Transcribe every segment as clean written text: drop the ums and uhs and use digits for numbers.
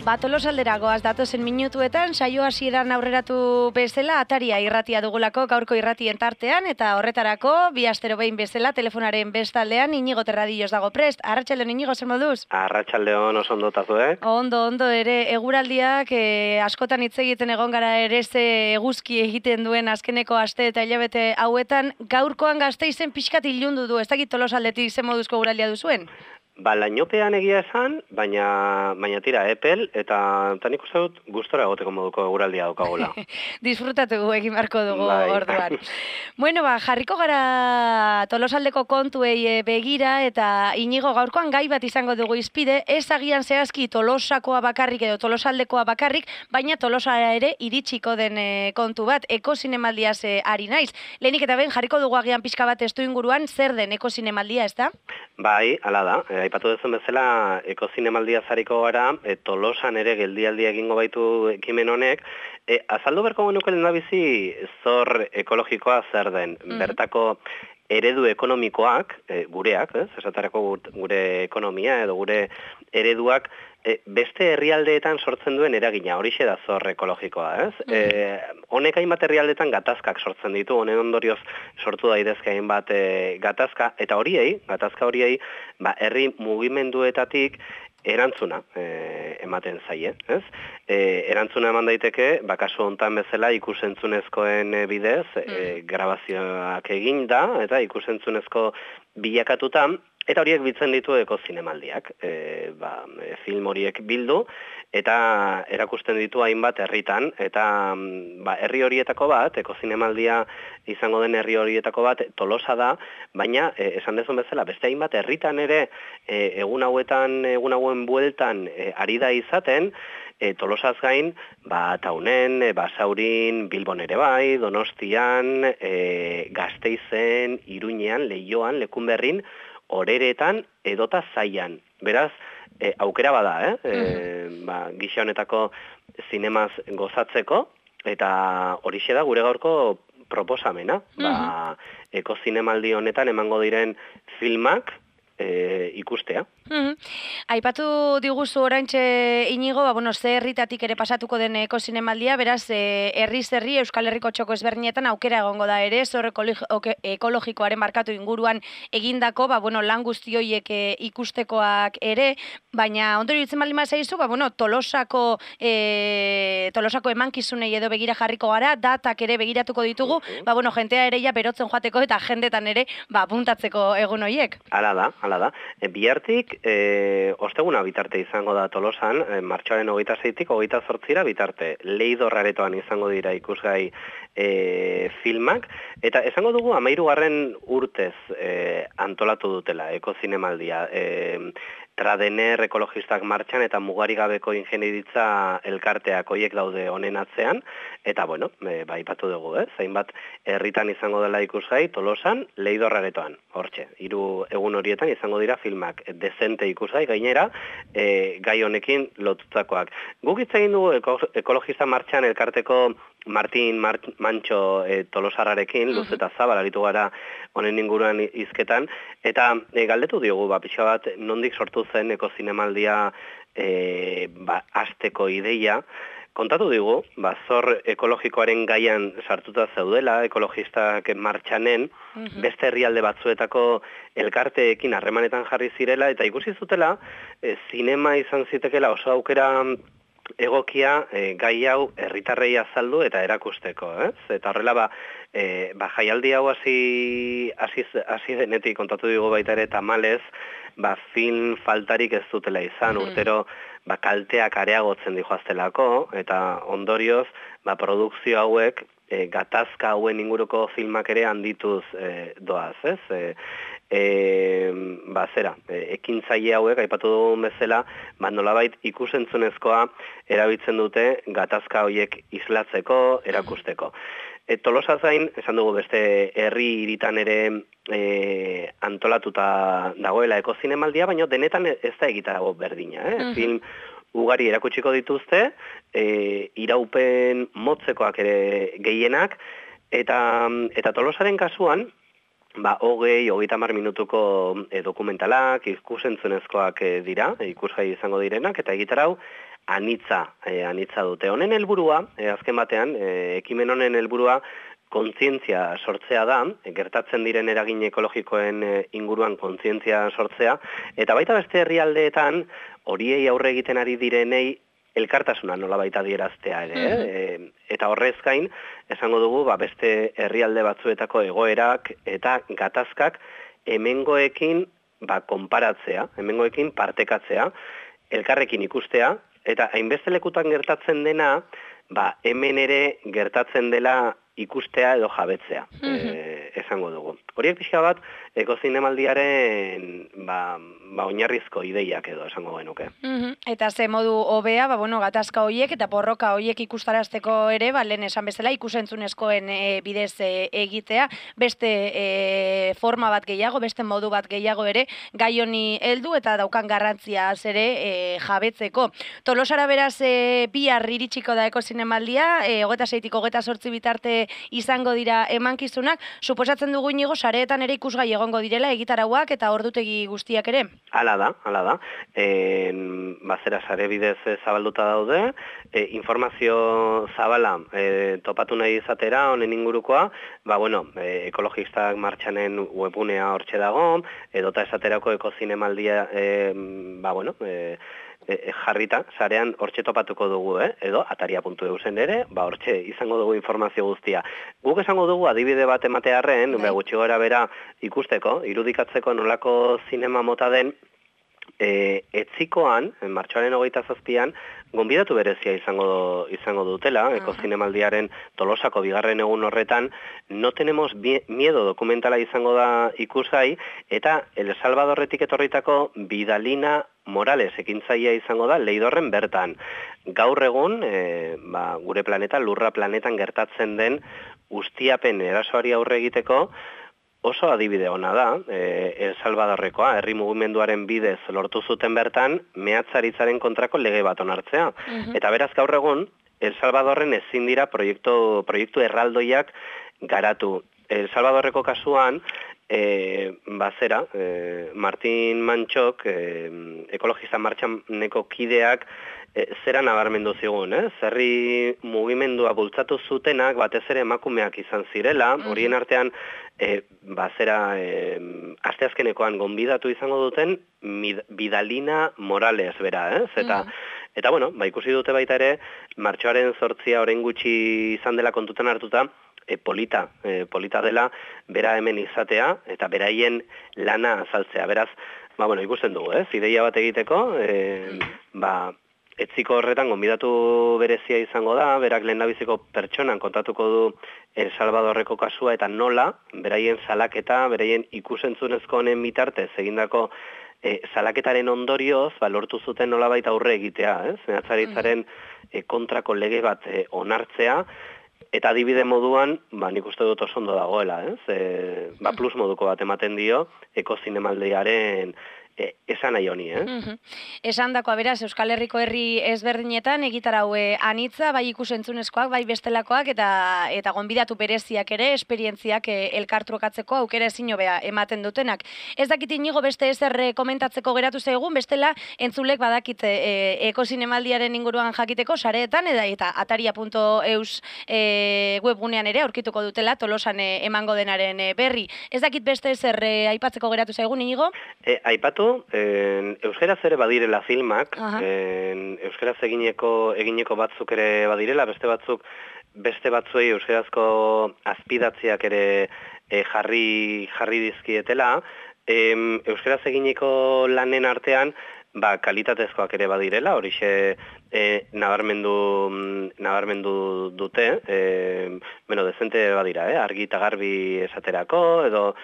Tolosaldera goaz datozen minutuetan, saio hasieran aurreratu bezala, Ataria irratia dugulako gaurko irratien tartean, eta horretarako, bi astero behin bezala, telefonaren bestaldean, Inigo Terradillos dago prest. Arratsaldeon, Inigo, zer moduz? Arratsaldeon, oso ondo tazu, Ondo ere, eguraldiak askotan hitz egiten egon gara ere ze eguzki egiten duen azkeneko aste eta hilabete hauetan, gaurkoan Gasteizen pixkat ilundu du, ez dakit Tolosaldetik ze moduzko eguraldia duzuen? Lainopean egia esan, baina tira epel, eta nik uste dut gustora egoteko moduko eguraldia daukagula. Disfrutatu egin beharko dugu orduan. Bueno, jarriko gara Tolosaldeko kontuei begira, eta Inigo gaurkoan gai bat izango dugu izpide, ez agian zehazki Tolosakoa bakarrik edo Tolosaldekoa bakarrik, baina Tolosara ere iritsiko den kontu bat, ekozinemaldiaz ari naiz. Lehenik eta ben jarriko dugu agian pixka bat estu inguruan, zer den ekozinemaldia, ez da? Bai, hala da. Aipatu duzun bezala, ekozinemaldia zariko gara, Tolosan ere geldialdia egingo baitu ekimen honek, azaldu berko genuke lehendabizi zor ekologikoa zer den. Bertako eredu ekonomikoak, gureak, esatarako gure ekonomia edo gure ereduak, beste herrialdeetan sortzen duen eragina, horixe da zor ekologikoa, ez? Honek hainbat herrialdeetan gatazkak sortzen ditu, honen ondorioz sortu daitezke hainbat gatazka, eta gatazka horiei, herri mugimenduetatik erantzuna ematen zaie, ez? Erantzuna eman daiteke, kasu hontan bezala ikusentzunezkoen bidez, grabazioak egin da, eta ikusentzunezko bilakatutan, eta horiek bitzen ditu ekozinemaldiak, film horiek bildu, eta erakusten ditu hainbat herritan, eta herri horietako bat, ekozinemaldia izango den herri horietako bat, Tolosa da, baina, esan dezun bezala, beste hainbat herritan ere, egun hauen bueltan ari da izaten, Tolosaz gain, Taunen, Basaurin, Bilbon ere bai, Donostian, Gasteizen, Iruñean, Leioan, Lekunberrin, Oreretan edota Zaian. Beraz, aukera bada, gisa honetako zinemaz gozatzeko, eta horixe da gure gaurko proposamena. Ekozinemaldi honetan emango diren filmak ikustea. Aipatu diguzu oraintxe Inigo, ze herritatik ere pasatuko den ekozinemaldia, beraz, herriz herri Euskal Herriko txoko ezberdinetan aukera egongo da ere, zor ekologikoaren markatu inguruan egindako, lan guzti horiek ikustekoak ere, baina ondorio ditzen baldin zaizu, Tolosako emankizunei edo begira jarriko gara, datak ere begiratuko ditugu, jentea ere berotzen joateko eta jendetan ere puntatzeko egun horiek. Hala da. Bihartik, osteguna bitarte izango da Tolosan, martxoaren 26-tik 28-ra bitarte, Leidorraretoan izango dira ikusgai filmak, eta esango dugu 13. urtez antolatu dutela ekozinemaldia, Tradener ekologistak martxan eta mugarigabeko ingeniaritza elkarteak hoiek daude honen atzean, eta aipatu dugu, zainbat herritan izango dela ikusgai, Tolosan, Leidorraretoan, hortxe, 3 egun horietan izango dira filmak dezente ikusgai, gainera, gai honekin lotutakoak. Guk hitz egin dugu ekologista martxan elkarteko Martin Mantxo Tolosarrarekin, luz eta zabal aritu gara honen inguruan hizketan, eta galdetu diogu, pixka bat, nondik sortu zen ekozinemaldia hasteko ideia, kontatu digu, zor ekologikoaren gaian sartuta zeudela, ekologistak martxanen, beste herrialde batzuetako elkarteekin harremanetan jarri zirela, eta ikusi zutela, zinema izan zitekela oso aukera egokia gai hau herritarrei azaldu eta erakusteko, Eta horrela, jaialdi hau hasi denetik kontatu digu baita ere tamalez, film faltarik ez dutela izan, urtero kalteak areagotzen dijoaztelako, eta ondorioz, produkzio hauek, gatazka hauen inguruko filmak ere handituz doaz, ekintzaile hauek, aipatu dugun bezala, nolabait ikusentzunezkoa erabiltzen dute gatazka horiek islatzeko, erakusteko. Tolosaz gain, esan dugu beste herri hiritan ere antolatuta dagoela ekozinemaldia, baina denetan ez da egitarago berdina. Film ugari erakutsiko dituzte, iraupen motzekoak ere gehienak, eta Tolosaren kasuan, 30 minutuko dokumentalak, ikusentzunezkoak dira, ikusgai izango direnak, eta egitarau anitza dute. Honen helburua, azken batean, ekimen honen helburua, kontzientzia sortzea da, gertatzen diren eragin ekologikoen inguruan kontzientzia sortzea, eta baita beste herrialdeetan, horiei aurre egiten ari direnei, elkartasuna nola baita adieraztea ere, eta horrez gain, esango dugu, beste herrialde batzuetako egoerak eta gatazkak hemengoekin konparatzea, hemengoekin partekatzea, elkarrekin ikustea, eta hainbeste lekutan gertatzen dena, hemen ere gertatzen dela ikustea edo jabetzea, esango dugu. Horiek pixka bat, ekozinemaldiaren oinarrizko ideiak edo esango genuke. Eta ze modu hobea, gatazka horiek eta porroka horiek ikustarazteko ere, lehen esan bezala ikusentzunezkoen bidez egitea, beste forma bat gehiago, beste modu bat gehiago ere, gai honi heldu eta daukan garrantziaz ere jabetzeko. Tolosara beraz bihar iritsiko da ekozinemaldia, 26tik 28 bitarte izango dira emankizunak, suposatzen dugu Inigo sareetan ere ikusgai egongo direla egitarauak eta ordutegi guztiak ere. Hala da. Zera sare bidez zabalduta daude, informazio zabala topatu nahi izatera honen ingurukoa, ekologistak martxanen webgunea hortxe dago, edota esaterako ekozinemaldia jarrita, sarean hortxe topatuko dugu, edo ataria.eusen ere, hortxe izango dugu informazio guztia. Guk esango dugu adibide bat ematearren, gutxi gora bera ikusteko, irudikatzeko nolako zinema mota den, etzikoan, martxoaren 27an, gonbidatu berezia izango dutela, ekozinemaldiaren Tolosako bigarren egun horretan, No tenemos miedo dokumentala izango da ikusgai, eta El Salvadorretik etorritako Bidalina Morales ekintzailea izango da Leidorren bertan. Gaur egun, gure planeta, lurra planetan gertatzen den ustiapen erasoari aurre egiteko, oso adibide ona da, El Salvadorrekoa, herri mugimenduaren bidez lortu zuten bertan, mehatzaritzaren kontrako lege bat onartzea. Eta beraz gaur egun, El Salvadorren ezin dira proiektu erraldoiak garatu. El Salvadorreko kasuan, Martin Mantxok, ekologista martxaneko kideak, zera nabarmendu zigun, zerri mugimendua bultzatu zutenak, batez ere emakumeak izan zirela, horien artean, asteazkenekoan gonbidatu izango duten Bidalina Morales bera, Eta, ikusi dute baita ere, martxoaren 8 orain gutxi izan dela kontutan hartuta, polita dela, bera hemen izatea, eta beraien lana azaltzea. Beraz, ikusten dugu, ideia bat egiteko, etziko horretan gonbidatu berezia izango da, berak lehendabiziko pertsonan kontatuko du El Salvadorreko kasua, eta nola, beraien salaketa, beraien ikusentzunezko honen bitartez egindako salaketaren ondorioz, lortu zuten nolabait aurre egitea, mehatzaritzaren kontrako lege bat onartzea, eta adibide moduan, nik uste dut oso ondo dagoela, plus moduko bat ematen dio, ekozinemaldiaren esan nahi honi, Esan dakoa beraz, Euskal Herriko herri ezberdinetan egitarau anitza, bai ikusentzunezkoak, bai bestelakoak, eta gonbidatu bereziak ere, esperientziak elkartrukatzeko aukera ezin hobea ematen dutenak. Ez dakit Inigo beste ezer komentatzeko geratu zaigun, bestela entzulek badakit ekozinemaldiaren inguruan jakiteko, sareetan, eta ataria.eus webgunean ere aurkituko dutela, Tolosan emango denaren berri. Ez dakit beste ezer aipatzeko geratu zaigun, Inigo? Aipatu, euskaraz ere badirela filmak, euskaraz egineko batzuk ere badirela, beste batzuei euskarazko azpidatziak ere jarri dizkietela, euskaraz egineko lanen artean, kalitatezkoak ere badirela, horixe nabarmendu dute, dezente badira, argi eta garbi esaterako, edo,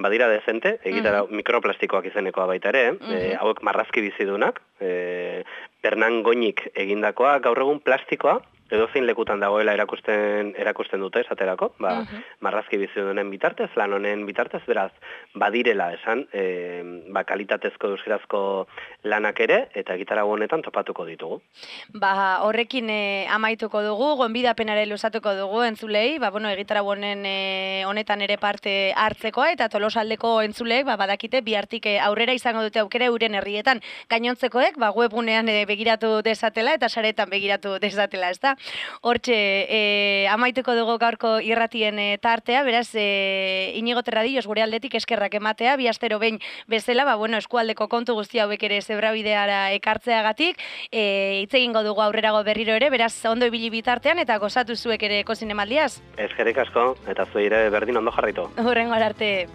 badira dezente, egitara mikroplastikoak izenekoa baita ere, hauek marrazki bizidunak, Bernan Goñik egindakoa, gaur egun plastikoa, edozein lekutan dagoela erakusten dute esaterako, marrazki bizidunen bitartez, lan honen bitartez, beraz, badirela esan, kalitatezko euskarazko lanak ere, eta egitarago honetan topatuko ditugu. Horrekin amaituko dugu, gonbidapenare luzatuko dugu entzulei, egitarago honetan ere parte hartzekoa, eta Tolosaldeko entzuleek badakite bihartik aurrera izango dute aukera euren herrietan gainontzekoek, webgunean begiratu desatela eta saretan begiratu desatela, ezta? Hortxe, amaituko dugu gaurko irratien tartea, beraz, Inigo Terradillos gure aldetik eskerrak ematea, bi astero behin bezala, eskualdeko kontu guzti hauek ere zebrabideara ekartzeagatik, hitz egingo dugu aurrerago berriro ere, beraz, ondo ibili bitartean eta gozatu zuek ere Ekozinemaldiaz. Eskerrik asko, eta zuire berdin ondo jarraitu. Hurrengo arte.